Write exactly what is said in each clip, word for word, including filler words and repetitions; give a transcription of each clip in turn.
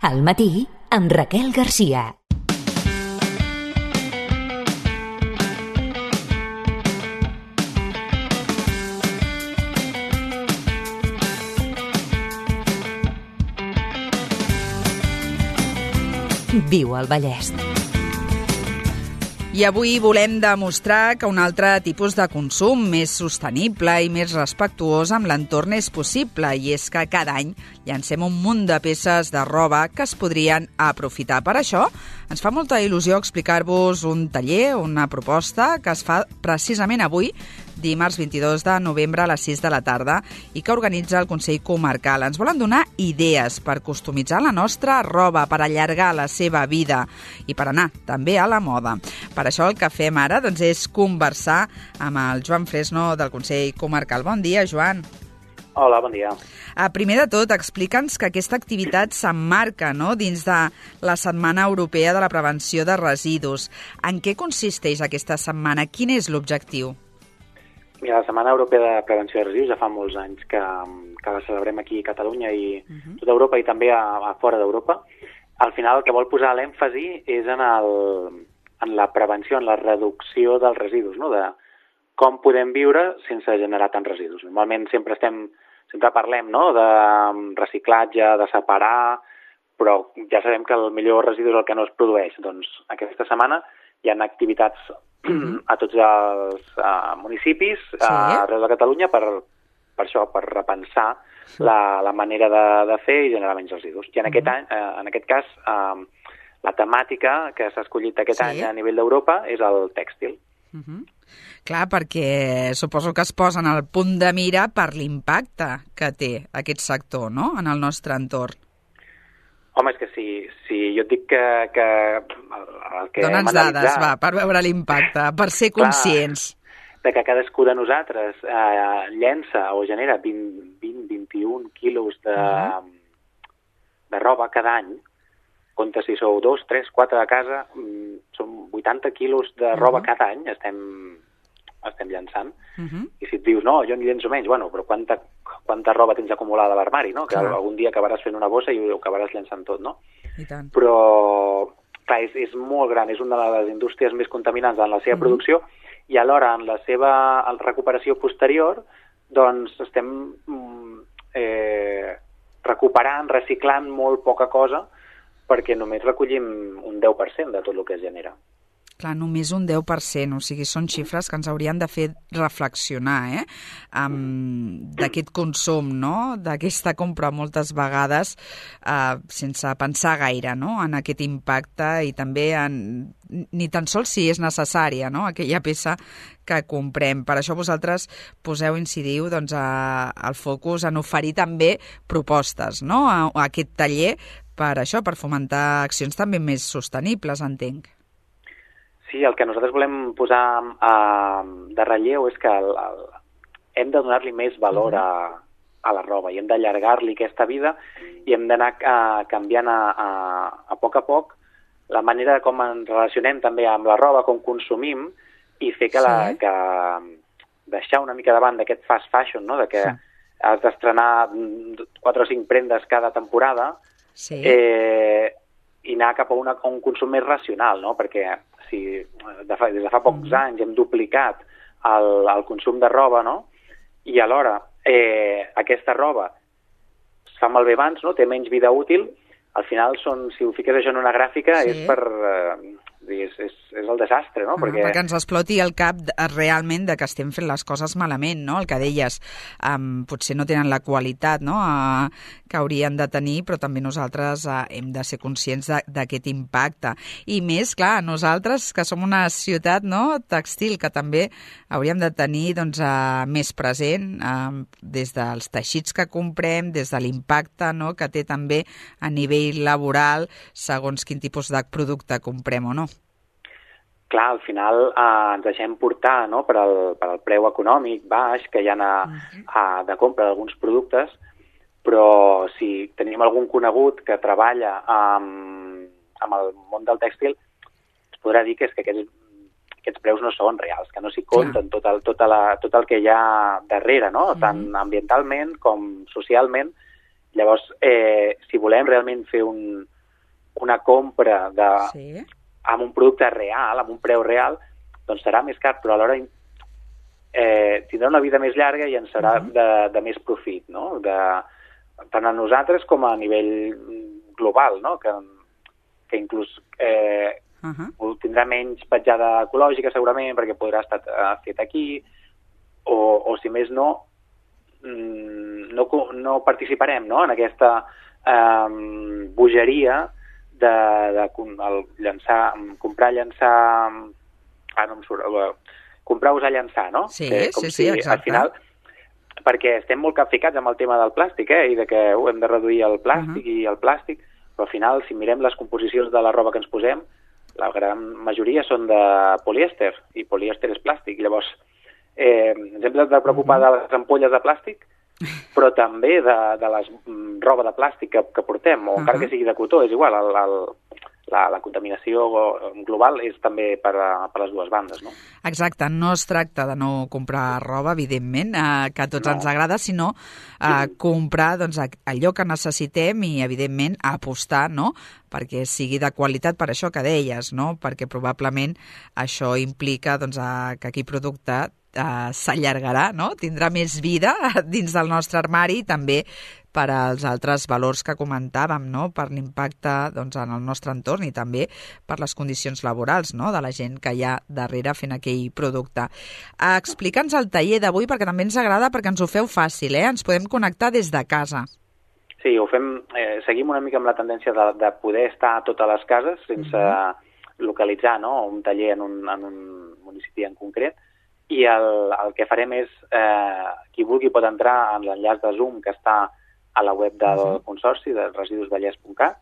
Al matí, amb Raquel Garcia. Viu al Vallès. I avui volem demostrar que un altre tipus de consum més sostenible i més respectuós amb l'entorn és possible, i és que cada any llancem un munt de peces de roba que es podrien aprofitar. Per això ens fa molta il·lusió explicar-vos un taller, una proposta que es fa precisament avui, dimarts vint-i-dos de novembre a les sis de la tarda, i que organitza el Consell Comarcal. Ens volen donar idees per customitzar la nostra roba, per allargar la seva vida i per anar també a la moda. Per això el que fem ara doncs, és conversar amb el Joan Fresno del Consell Comarcal. Bon dia, Joan. Hola, bon dia. Uh, primer de tot, explica'ns que aquesta activitat s'emmarca, no?, dins de la Setmana Europea de la Prevenció de Residus. En què consisteix aquesta setmana? Quin és l'objectiu? Mira, la Setmana Europea de Prevenció de Residus ja fa molts anys que, que la celebrem aquí a Catalunya i uh-huh. tota Europa i també a, a fora d'Europa. Al final el que vol posar l'èmfasi és en, el, en la prevenció, en la reducció dels residus, no?, de com podem viure sense generar tants residus. Normalment sempre estem, sempre parlem, no?, de reciclatge, de separar, però ja sabem que el millor residu és el que no es produeix. Doncs aquesta setmana hi ha activitats a tots els uh, municipis sí. uh, arreu de Catalunya per, per això, per repensar la, la manera de, de fer i generar menys residus. I en, aquest, any, uh, en aquest cas, uh, la temàtica que s'ha escollit aquest sí. any a nivell d'Europa és el tèxtil. Uh-huh. Clar, perquè suposo que es posen al punt de mira per l'impacte que té aquest sector, no?, en el nostre entorn. Home, és que si, si jo et dic que... que el que Dóna'ns dades, va, per veure l'impacte, per ser conscients. Clar, de que cadascú de nosaltres eh, llença o genera vint a vint i un quilos de, uh-huh. de roba cada any, compte si sou dos, tres, quatre de casa, són vuitanta quilos de roba uh-huh. cada any, estem, estem llançant. Uh-huh. I si et dius, no, jo en llenço menys, bueno, però quanta, quanta roba tens acumulada a l'armari, no? Que clar. Algun dia acabaràs fent una bossa i ho acabaràs llançant tot, no? I tant. Però, clar, és, és molt gran, és una de les indústries més contaminants en la seva uh-huh. producció i alhora en la seva en recuperació posterior, doncs estem eh, recuperant, reciclant molt poca cosa perquè només recollim un deu per cent de tot el que es genera. Clar, només un deu per cent, o sigui, són xifres que ens haurien de fer reflexionar, eh? Um, d'aquest consum, no?, d'aquesta compra moltes vegades uh, sense pensar gaire, no?, en aquest impacte i també en, ni tan sols si és necessària, no?, aquella peça que comprem. Per això vosaltres poseu, incidiu, doncs, a, al focus en oferir també propostes, no?, a, a aquest taller per això, per fomentar accions també més sostenibles, entenc. Sí, el que nosaltres volem posar uh, de relleu és que el, el, hem de donar-li més valor a, a la roba i hem d'allargar-li aquesta vida i hem d'anar uh, canviant a, a, a poc a poc la manera com ens relacionem també amb la roba, com consumim i fer que, la, sí. que deixar una mica davant d'aquest fast fashion, no?, de que sí. has d'estrenar quatre o cinc prendes cada temporada sí. eh, i anar cap a, una, a un consum més racional, no?, perquè si de fa, des de fa pocs mm. anys hem duplicat el, el consum de roba, no?, i alhora eh, aquesta roba es fa malbé abans, no?, té menys vida útil, al final són, si ho fiques això en una gràfica sí. és per... Eh, és, és, és el desastre, no? Ah, perquè... perquè ens exploti el cap realment de que estem fent les coses malament, no? El que deies, um, potser no tenen la qualitat, no?, uh, que haurien de tenir, però també nosaltres uh, hem de ser conscients d'aquest impacte. I més, clar, nosaltres, que som una ciutat, no?, textil, que també hauríem de tenir, doncs, uh, més present uh, des dels teixits que comprem, des de l'impacte, no?, que té també a nivell laboral, segons quin tipus de producte comprem o no. Clar, al final eh, ens deixem portar, no?, per al, per al preu econòmic baix que hi ha a, uh-huh. a, de compra d'alguns productes, però si tenim algun conegut que treballa amb, amb el món del tèxtil, es podrà dir que, és que aquests, aquests preus no són reals, que no s'hi compten tot el, tot, la, tot el que hi ha darrere, no?, uh-huh. tant ambientalment com socialment. Llavors, eh, si volem realment fer un, una compra de, sí. amb un producte real, amb un preu real, doncs serà més car, però alhora eh, tindrà una vida més llarga i ens serà uh -huh. de, de més profit, no? De, tant a nosaltres com a nivell global, no? Que, que inclús eh, uh -huh. tindrà menys petjada ecològica segurament perquè podrà estar uh, fet aquí, o, o si més no, no, no participarem, no? En aquesta eh, bogeria de, de el llançar, comprar, llançar... Ah, no em surt... Comprar, usar, llançar, no? Sí, que, com sí, si, sí, exacte. Al final, perquè estem molt capficats amb el tema del plàstic, eh? I de que uh, hem de reduir el plàstic uh -huh. i el plàstic, però al final, si mirem les composicions de la roba que ens posem, la gran majoria són de polièster, i polièster és plàstic. Llavors, eh, ens hem de preocupar uh -huh. de les ampolles de plàstic, però també de, de les mm, roba de plàstic que, que portem, o uh -huh. encara que sigui de cotó, és igual, el, el, la, la contaminació global és també per, a, per les dues bandes, no? Exacte, no es tracta de no comprar roba, evidentment, eh, que a tots no. ens agrada, sinó eh, sí. comprar doncs, allò que necessitem i, evidentment, apostar, no?, perquè sigui de qualitat, per això que deies, no?, perquè probablement això implica doncs, a, que aquell producte Uh, s'allargarà, no? Tindrà més vida dins del nostre armari i també per als altres valors que comentàvem, no? Per l'impacte doncs, en el nostre entorn i també per les condicions laborals, no?, de la gent que hi ha darrere fent aquell producte. Uh, Explica'ns el taller d'avui, perquè també ens agrada, perquè ens ho feu fàcil, eh? Ens podem connectar des de casa. Sí, ho fem, eh, seguim una mica amb la tendència de, de poder estar a totes les cases sense mm-hmm. localitzar, no?, un taller en un, en un municipi en concret. I el, el que farem és, eh, qui vulgui pot entrar en l'enllaç de Zoom que està a la web del uh -huh. Consorci, de residus vallès punt cat,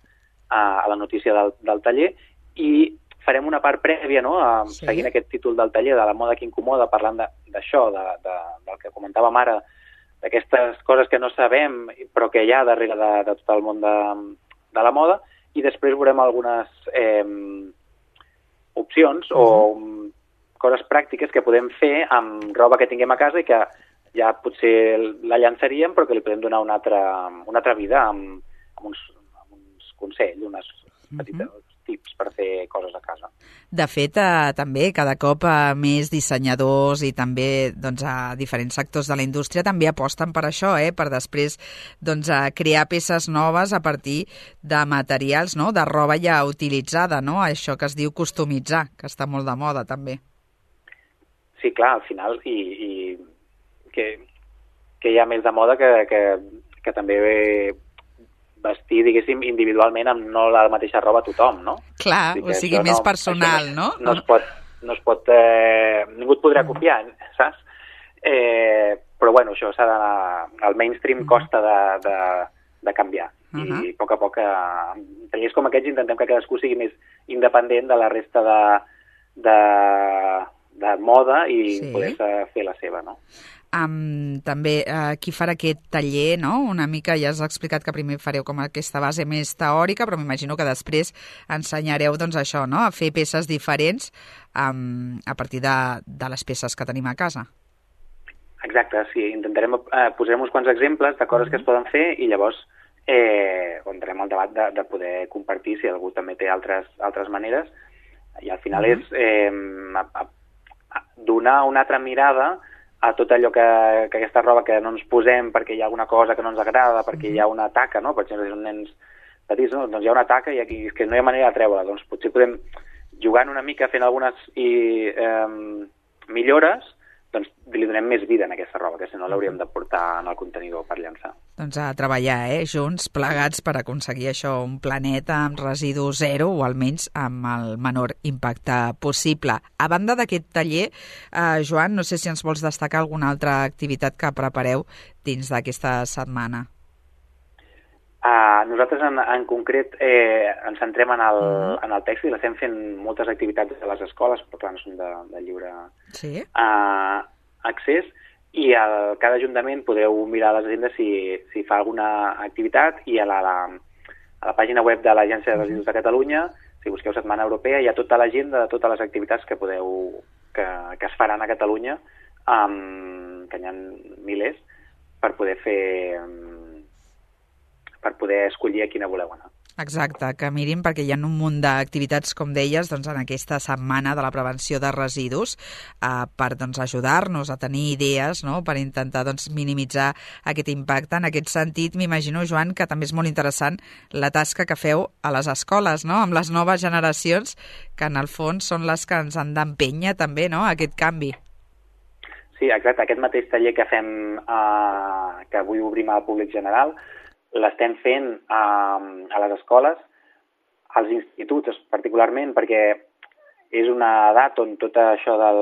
a, a la notícia del, del taller, i farem una part prèvia, no?, a, sí. seguint aquest títol del taller, de la moda que incomoda, parlant d'això, de, de, de, del que comentàvem ara, d'aquestes coses que no sabem, però que hi ha darrere de, de tot el món de, de la moda, i després veurem algunes eh, opcions uh -huh. o coses pràctiques que podem fer amb roba que tinguem a casa i que ja potser la llançaríem, però que li podem donar una altra, una altra vida amb, amb, uns, amb uns consells, unes petites uh-huh. tips per fer coses a casa. De fet, eh, també cada cop eh, més dissenyadors i també doncs, a diferents sectors de la indústria també aposten per això, eh, per després doncs, a crear peces noves a partir de materials, no?, de roba ja utilitzada, no?, això que es diu customitzar, que està molt de moda també. Sí, clar, al final, i, i que, que hi ha més de moda que, que, que també vestir, diguéssim, individualment amb no la mateixa roba a tothom, no? Clar, o sigui, més no, personal, no? No es pot, no es pot eh, ningú et podrà copiar, saps? Eh, però, bueno, això s'ha d'anar... El mainstream uh -huh. costa de, de, de canviar. Uh -huh. I a poc a poc, en tallers com aquests, intentem que cadascú sigui més independent de la resta de... de de moda i sí. poder fer la seva, no? Um, també uh, qui farà aquest taller, no? Una mica ja has explicat que primer fareu com aquesta base més teòrica, però m'imagino que després ensenyareu doncs això, no?, a fer peces diferents um, a partir de, de les peces que tenim a casa. Exacte, sí. Intentarem, eh, posarem uns quants exemples de coses mm-hmm. que es poden fer i llavors eh, entrem al debat de, de poder compartir si algú també té altres, altres maneres i al final mm-hmm. és eh, a, a, donar una altra mirada a tot allò que, que aquesta roba que no ens posem perquè hi ha alguna cosa que no ens agrada, perquè hi ha una taca, no? Per exemple, si són nens petits, no? Doncs hi ha una taca i aquí és que no hi ha manera de treure-la. Doncs potser podem, jugant una mica, fent algunes i, eh, millores, doncs li donem més vida en aquesta roba, que si no l'hauríem de portar en el contenidor per llançar. Doncs a treballar, eh, junts, plegats, per aconseguir això, un planeta amb residu zero o almenys amb el menor impacte possible. A banda d'aquest taller, eh, Joan, no sé si ens vols destacar alguna altra activitat que prepareu dins d'aquesta setmana. Uh, nosaltres en, en concret eh, ens centrem en el, uh-huh. en el tèxtil, estem fent moltes activitats a les escoles, però clar, no són de, de lliure sí. uh, accés, i el, cada ajuntament podeu mirar les agendes si, si fa alguna activitat, i a la, la, a la pàgina web de l'Agència de Residus de Catalunya, si busqueu Setmana Europea, hi ha tota l'agenda de totes les activitats que podeu que, que es faran a Catalunya, um, que n'hi ha milers, per poder fer... Um, per poder escollir a quina voleu anar. Exacte, que mirin, perquè hi ha un munt d'activitats, com deies, doncs, en aquesta setmana de la prevenció de residus eh, per doncs, ajudar-nos a tenir idees, no?, per intentar doncs, minimitzar aquest impacte. En aquest sentit, m'imagino, Joan, que també és molt interessant la tasca que feu a les escoles, no?, amb les noves generacions, que en el fons són les que ens han d'empènyer també, no?, aquest canvi. Sí, exacte. Aquest mateix taller que fem, eh, que avui obrim al públic general, l'estem fent a, a les escoles, als instituts particularment, perquè és una edat on tot això del,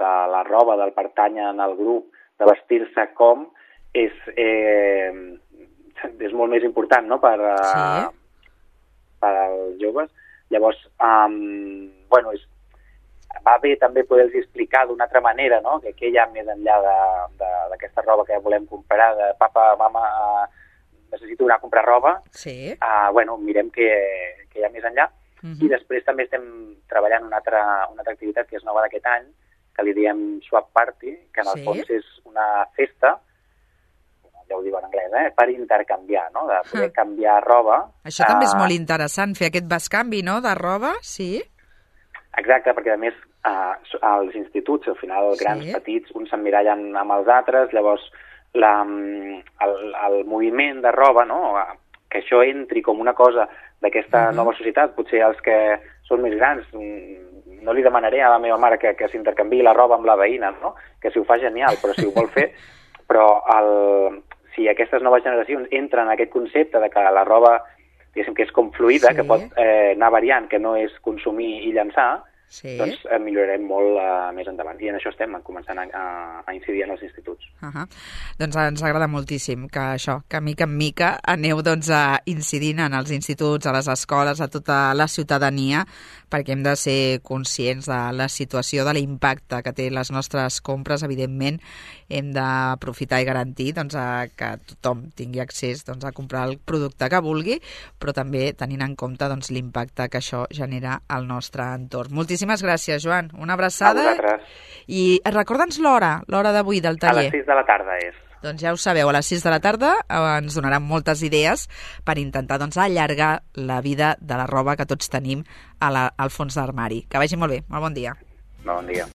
de la roba, del pertany en el grup, de vestir-se com, és, eh, és molt més important, no?, per, sí. per als joves. Llavors, um, bueno, és, va bé també poder-los explicar d'una altra manera, no?, que què hi ha més enllà d'aquesta roba que volem comprar, de papa, mama, uh, necessito anar a comprar roba, sí. uh, bueno, mirem què, què hi ha més enllà. Uh -huh. I després també estem treballant una altra, una altra activitat que és nova d'aquest any, que li diem Swap Party, que en el sí. fons és una festa, ja ho diu en anglès, eh, per intercanviar, no?, de poder uh -huh. canviar roba. Això uh, també és molt interessant, fer aquest bescanvi, no?, de roba, sí. Exacte, perquè a més uh, als instituts, al final, grans, sí. petits, uns s'emmirallen amb els altres, llavors La, el, el moviment de roba, no?, que això entri com una cosa d'aquesta uh -huh. nova societat. Potser els que són més grans no li demanaré a la meva mare que, que s'intercanviï la roba amb la veïna, no?, que si ho fa genial, però si ho vol fer, però el, si aquestes noves generacions entren en aquest concepte de que la roba, diguéssim, que és com fluida, sí. que pot eh, anar variant, que no és consumir i llançar, sí. doncs eh, millorarem molt uh, més endavant. I en això estem començant a, a incidir en els instituts. Uh -huh. Doncs ens agrada moltíssim que això, que mica en mica aneu doncs, a incidint en els instituts, a les escoles, a tota la ciutadania, perquè hem de ser conscients de la situació, de l'impacte que té les nostres compres. Evidentment, hem d'aprofitar i garantir doncs, a que tothom tingui accés doncs, a comprar el producte que vulgui, però també tenint en compte doncs, l'impacte que això genera al nostre entorn. Moltíssimes gràcies, Joan. Una abraçada. A vosaltres. I recorda'ns l'hora, l'hora d'avui del taller. A les sis de la tarda és. Doncs ja ho sabeu, a les sis de la tarda eh, ens donaran moltes idees per intentar doncs, allargar la vida de la roba que tots tenim a la, al fons d'armari. Que vagi molt bé. Molt bon dia. Bon dia.